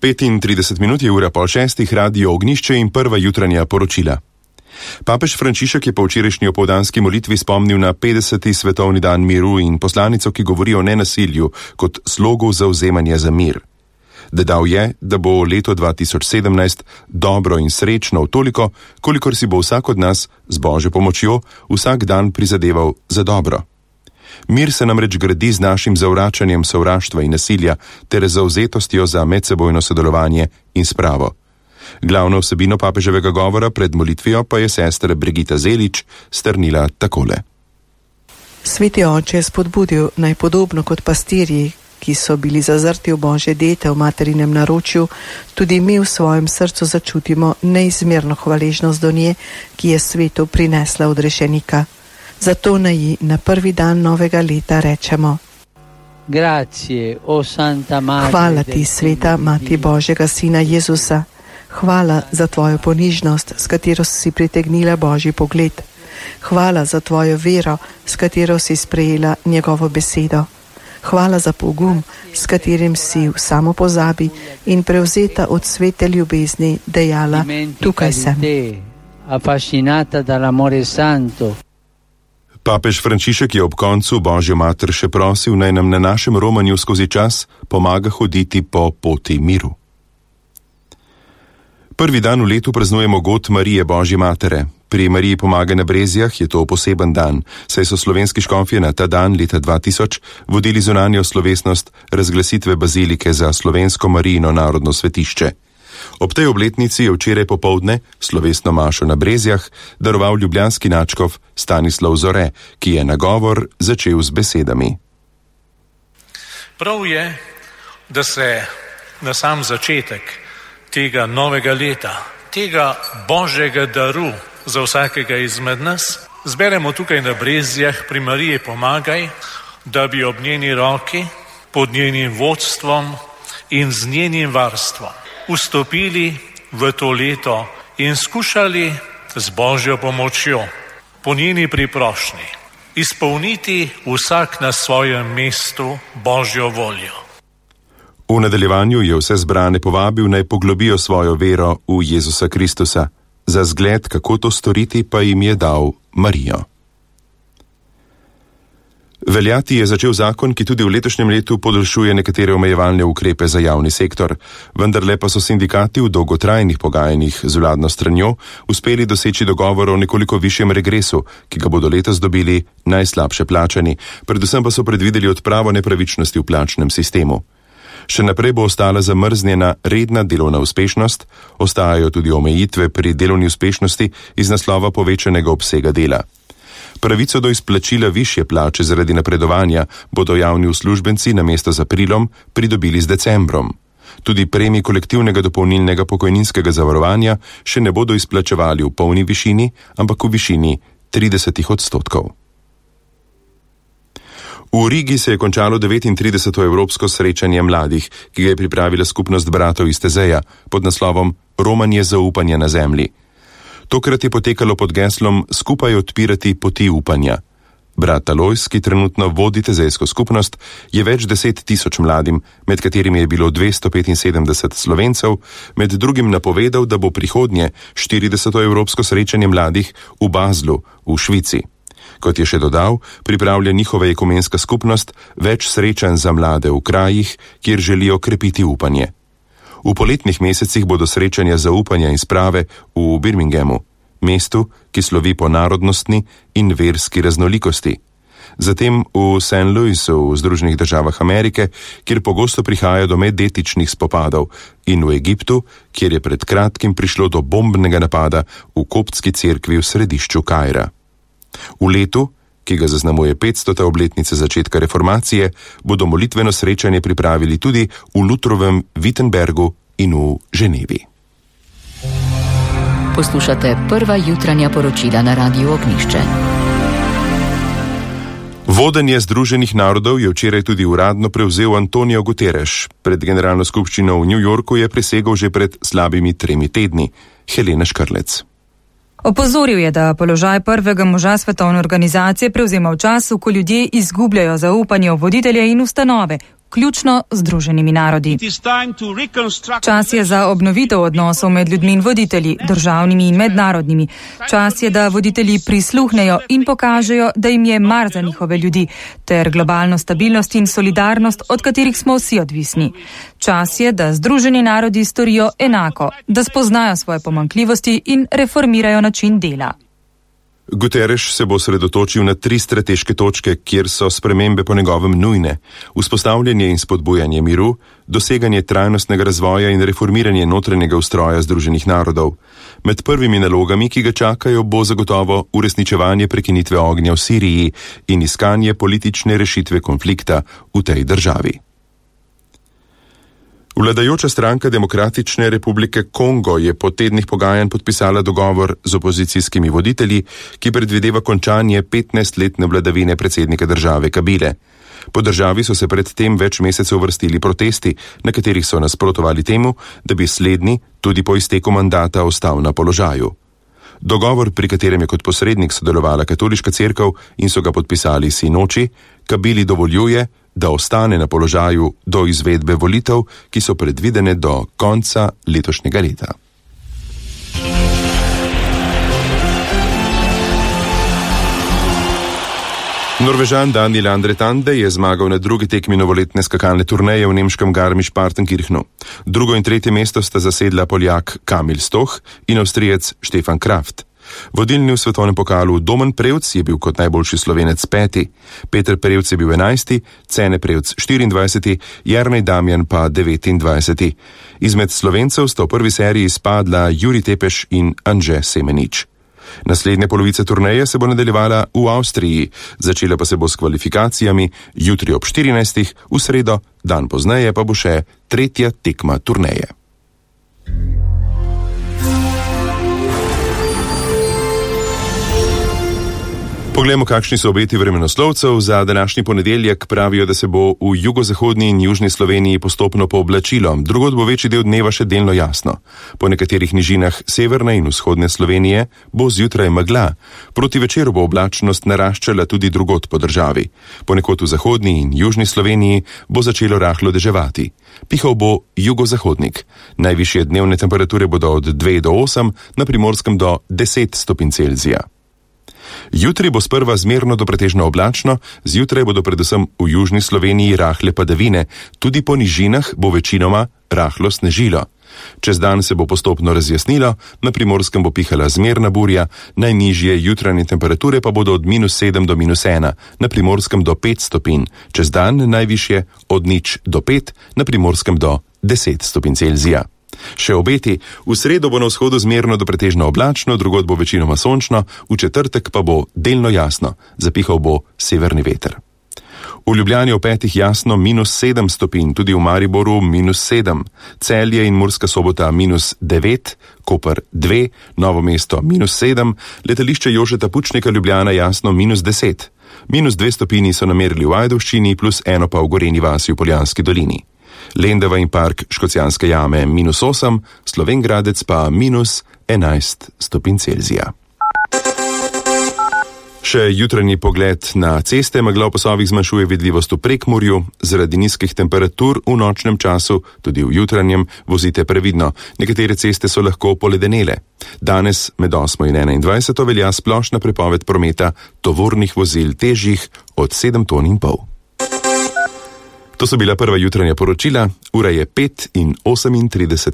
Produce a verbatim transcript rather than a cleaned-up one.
petintrideset minut je ura pol šestih, radio Ognišče in prva jutranja poročila. Papež Frančišek je po včerajšnji opoldanski molitvi spomnil na petdeseti svetovni dan miru in poslanico, ki govori o nenasilju kot slogu zauzemanja za mir. Dodal je, da bo leto dva tisoč sedemnajst dobro in srečno toliko, kolikor si bo vsak od nas z Božjo pomočjo vsak dan prizadeval za dobro. Mir se namreč gradi z našim zavračanjem sovraštva in nasilja ter zavzetostjo za medsebojno sodelovanje in spravo. Glavno vsebino papeževega govora pred molitvijo pa je sestra Brigita Zelič strnila takole. Sveti oče je spodbudil naj podobno kot pastirji, ki so bili zazrti v Božje dete v materinem naročju, tudi mi v svojem srcu začutimo neizmerno hvaležnost do nje, ki je svetu prinesla odrešenika. Zato naj ji na prvi dan novega leta rečemo: Grazie, o Santa Madre. Hvala ti, sveta Mati Božjega Sina Jezusa. Hvala za tvojo ponižnost, s katero si pritegnila Božji pogled. Hvala za tvojo vero, s katero si sprejela njegovo besedo. Hvala za pogum, s katerim si v samopozabi in prevzeta od svete ljubezni dejala: tukaj sem. Affascinata dall'amore santo. Papež Frančišek je ob koncu Božjo mater še prosil, naj nam na našem romanju skozi čas pomaga hoditi po poti miru. Prvi dan v letu praznujemo god Marije Božje matere. Pri Mariji pomaga na Brezjah je to poseben dan, saj so slovenski škofje na ta dan leta dva tisoč vodili zunanjo slovesnost razglasitve bazilike za slovensko Marijino narodno svetišče. Ob tej obletnici je včeraj popoldne slovesno mašo na Brezjah daroval ljubljanski nadškof Stanislav Zore, ki je nagovor začel z besedami. Prav je, da se na sam začetek tega novega leta, tega Božjega daru za vsakega izmed nas, zberemo tukaj na Brezjah pri Mariji Pomagaj, da bi ob njeni roki, pod njenim vodstvom in z njenim varstvom vstopili v to leto in skušali z Božjo pomočjo, po njeni priprošnji, izpolniti vsak na svojem mestu Božjo voljo. V nadaljevanju je vse zbrane povabil, naj poglobijo svojo vero v Jezusa Kristusa. Za zgled, kako to storiti, pa jim je dal Marijo. Veljati je začel zakon, ki tudi v letošnjem letu podaljšuje nekatere omejevalne ukrepe za javni sektor, vendarle pa so sindikati v dolgotrajnih pogajanjih z vladno stranjo uspeli doseči dogovor o nekoliko višjem regresu, ki ga bodo letos dobili najslabše plačani, predvsem pa so predvideli odpravo nepravičnosti v plačnem sistemu. Še naprej bo ostala zamrznjena redna delovna uspešnost, ostajajo tudi omejitve pri delovni uspešnosti iz naslova povečanega obsega dela. Pravico do izplačila višje plače zaradi napredovanja bodo javni uslužbenci namesto z aprilom pridobili z decembrom. Tudi premij kolektivnega dopolnilnega pokojninskega zavarovanja še ne bodo izplačevali v polni višini, ampak v višini trideset odstotkov. V Rigi se je končalo devetintrideseto evropsko srečanje mladih, ki ga je pripravila skupnost bratov iz Tezeja pod naslovom Romanje zaupanja na zemlji. Tokrat je potekalo pod geslom Skupaj odpirati poti upanja. Brat Alojz, ki trenutno vodi tezejsko skupnost, je več deset tisoč mladim, med katerimi je bilo dvesto petinsedemdeset Slovencev, med drugim napovedal, da bo prihodnje štirideseto evropsko srečanje mladih v Baslu v Švici. Kot je še dodal, pripravlja njihova ekumenska skupnost več srečanj za mlade v krajih, kjer želijo krepiti upanje. V poletnih mesecih bodo srečanja zaupanja in sprave v Birminghamu, mestu, ki slovi po narodnostni in verski raznolikosti. Zatem v Saint Louisu v Združenih državah Amerike, kjer pogosto prihaja do medetičnih spopadov, in v Egiptu, kjer je pred kratkim prišlo do bombnega napada v koptski cerkvi v središču Kaira. V letu, ki ga zaznamuje petstota obletnice začetka reformacije, bodo molitveno srečanje pripravili tudi v Lutrovem Wittenbergu in v Ženevi. Poslušate prva jutranja poročila na Radiu Ognišče. Vodenje Združenih narodov je včeraj tudi uradno prevzel Antonio Guterres. Pred generalno skupščino v New Yorku je prisegel že pred slabimi tremi tedni. Helena Škrlec. Opozoril je, da položaj prvega moža svetovne organizacije prevzema v času, ko ljudje izgubljajo zaupanje v voditelje in ustanove, vključno z Združenimi narodi. Čas je za obnovitev odnosov med ljudmi in voditelji, državnimi in mednarodnimi. Čas je, da voditelji prisluhnejo in pokažejo, da jim je mar za njihove ljudi, ter globalno stabilnost in solidarnost, od katerih smo vsi odvisni. Čas je, da Združeni narodi storijo enako, da spoznajo svoje pomanjkljivosti in reformirajo način dela. Guterres se bo osredotočil na tri strateške točke, kjer so spremembe po njegovem nujne: vzpostavljanje in spodbujanje miru, doseganje trajnostnega razvoja in reformiranje notranjega ustroja Združenih narodov. Med prvimi nalogami, ki ga čakajo, bo zagotovo uresničevanje prekinitve ognja v Siriji in iskanje politične rešitve konflikta v tej državi. Vladajoča stranka Demokratične republike Kongo je po tednih pogajanj podpisala dogovor z opozicijskimi voditelji, ki predvideva končanje petnajstletne vladavine predsednika države Kabile. Po državi so se predtem več mesecev vrstili protesti, na katerih so nasprotovali temu, da bi slednji tudi po izteku mandata ostal na položaju. Dogovor, pri katerem je kot posrednik sodelovala katoliška cerkev in so ga podpisali sinoči, Kabili dovoljuje, da ostane na položaju do izvedbe volitev, ki so predvidene do konca letošnjega leta. Norvežan Daniel Andretande je zmagal na drugi tekmi novoletne skakalne turneje v nemškem Garmisch-Partenkirchenu. Drugo in tretje mesto sta zasedla Poljak Kamil Stoch in Avstrijec Stefan Kraft. Vodilni v svetovnem pokalu Domen Prevc je bil kot najboljši Slovenec peti, Peter Prevc je bil enajsti, Cene Prevc štiriindvajseti, Jernej Damjan pa devetindvajseti. Izmed Slovencev sta v prvi seriji spadla Juri Tepeš in Anže Semenič. Naslednja polovica turneje se bo nadaljevala v Avstriji, začela pa se bo s kvalifikacijami jutri ob štirinajstih, v sredo, dan pozneje pa bo še tretja tekma turneje. Poglejmo, kakšni so obeti vremenoslovcev. Za današnji ponedeljek pravijo, da se bo v jugozahodni in južni Sloveniji postopno pooblačilo, drugod bo večji del dneva še delno jasno. Po nekaterih nižinah severne in vzhodne Slovenije bo zjutraj megla. Proti večeru bo oblačnost naraščala tudi drugod po državi. Ponekod v zahodni in južni Sloveniji bo začelo rahlo deževati. Pihal bo jugozahodnik. Najvišje dnevne temperature bodo od dve do osem, na Primorskem do deset stopinj Celzija. Jutri bo sprva zmerno do pretežno oblačno, zjutraj bodo predvsem v južni Sloveniji rahle padavine, tudi po nižinah bo večinoma rahlo snežilo. Čez dan se bo postopno razjasnilo, na Primorskem bo pihala zmerna burja, najnižje jutranje temperature pa bodo od minus sedem do minus ena, na Primorskem do pet stopinj, čez dan najvišje od nič do pet, na Primorskem do deset stopinj Celzija. Še obeti: v sredo bo na vzhodu zmerno do pretežno oblačno, drugod bo večinoma sončno, v četrtek pa bo delno jasno, zapihal bo severni veter. V Ljubljani ob petih jasno minus sedem stopinj, tudi v Mariboru minus sedem, Celje in Murska Sobota minus devet, Koper dve, Novo mesto minus sedem, letališče Jožeta Pučnika Ljubljana jasno minus deset. Minus dve stopinji so namerili v Ajdovščini, plus eno pa v Gorenji vasi v Poljanski dolini. Lendava in park Škocjanske jame minus osem, Slovenj Gradec pa minus enajst stopinj Celzija. Še jutranji pogled na ceste. Megla v pasovih zmanjšuje vidljivost v Prekmurju. Zaradi nizkih temperatur v nočnem času, tudi v jutranjem, vozite previdno. Nekatere ceste so lahko poledenele. Danes med osmo in enaindvajseto velja splošna prepoved prometa tovornih vozil težjih od sedem ton in pol. To so bila prva jutranja poročila, ura je pet in osemintrideset.